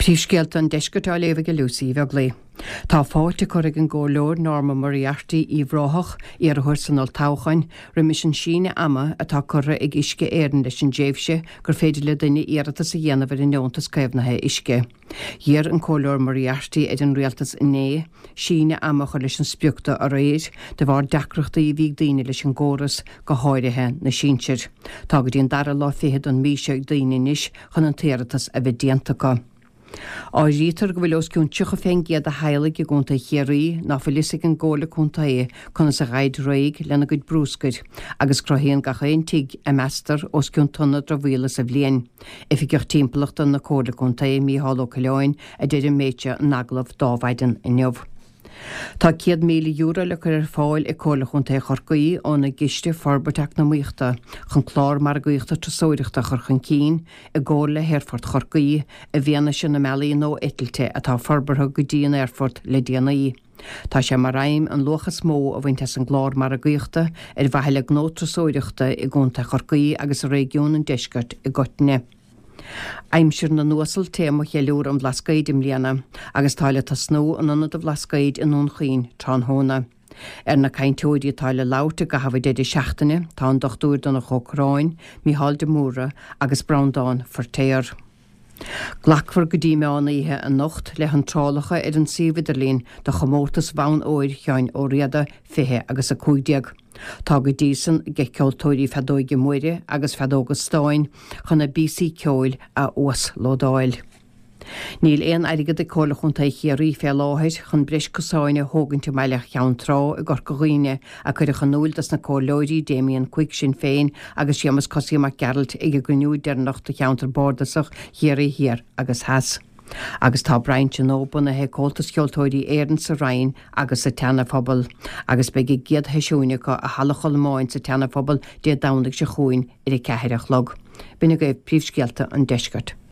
Príomhscéalta an Deiscirt á léamh ag Lucy Uí Bheaglaoi. Tá fáilte curtha ag an gComhairleoir Norma Moriarty, Uíbh Ráthach, iarrthóir san olltoghchán, roimis an síneadh ama atá curtha ag Uisce Éireann leis an dtréimhse gur féidir le duine iarratas a dhéanamh ar an nDeontas Caomhnaithe Uisce. D'iarr an Comhairleoir Moriarty ar an Rialtas inné síneadh ama a chur leis an sprioc do aréir, de bharr deacrachtaí a bhí ag daoine leis an gcóras, go háirithe na sinsir. Tá go dtí an dara lá fichead den mhí seo ag daoine anois chun an t-iarratas a bheith déanta acu. Áirítear go bhfuil os cionn 30 fén gcéad de theaghlaigh i gContae Chiarraí ná fuil fhios ag an gComhairle Contae conas a ghabhaid réidh lena gcuid brúscair, agus cruthaíonn gach aon tigh a meastar os cionn tonna dramhaíola sa bhliain. Oifigeach Timpeallachta na Comhairle Contae, Mícheál Ó Coileáin, a deir an méid seo in agallamh d'Adhmhaidin inniu. Tá €100,000 le cur ar fáil ag Comhairle Chontae Chorcaí óna gCiste Forbairt Eacnamaíochta chun clár margaíochta turasóireachta a chur chun cinn i gcomhar le hAerfort Chorcaí i bhfianaise na mbealaí nua eitilte atá forbartha go dtí an aerfort le déanaí. Tá sé mar aidhm an luach is mó a bhaint as an gclár margaíochta ar mhaithe le gnó turasóireachta i gContae Chorcaí agus i réigiún an deiscirt i gcoitinne. Aimsir na nUasal téama cheiliúradh an Bhlascaoid i mbliana agus tá le tosnú in Ionad an Bhlascaoid i nDún Chaoin tráthnóna. Ar na cainteoirí atá le labhairt i gcaitheamh an deireadh seachtaine tá an Dr Donncha Ó Corráin, Mícheál de Mórdha agus Breandán Feirtéar. Glacfar go dtí meán oíche anocht le hiontrálacha ar an suíomh idirlín do chomórtas Bhonn Óir Sheáin Ó Riada 20 agus 15. Tá go dtí san ag ceoltóirí feadóige móire agus feadóga stáin chun a bpíosaí ceoil a uaslódáil. Níl aon airgead ag Comhairle Chontae Chiarraí fé láthair chun breis cosáin a thógaint i mbaile Cheann Trá i gCorca Dhuibhne, a cuireadh in úil dos na Comhairleoirí Damien Quigg, Sinn Féin, agus Séamus Cosaí Mac Gearailt ag a gcruinniú deireanach do cheantar bardasach Chiarraí Thiar agus Theas. Agus tá brainse nua bunaithe ag Comhaltas Cheoltóirí Éireann sa Rinn agus sa tSeana-Phobal, agus beidh a gcéad sheisiúin acu i Halla Cholmáin sa tSeana-Phobal Dé Domhnaigh seo chugainn ar a ceathair a chlog. B'in agaibh príomhscéalta an deiscirt.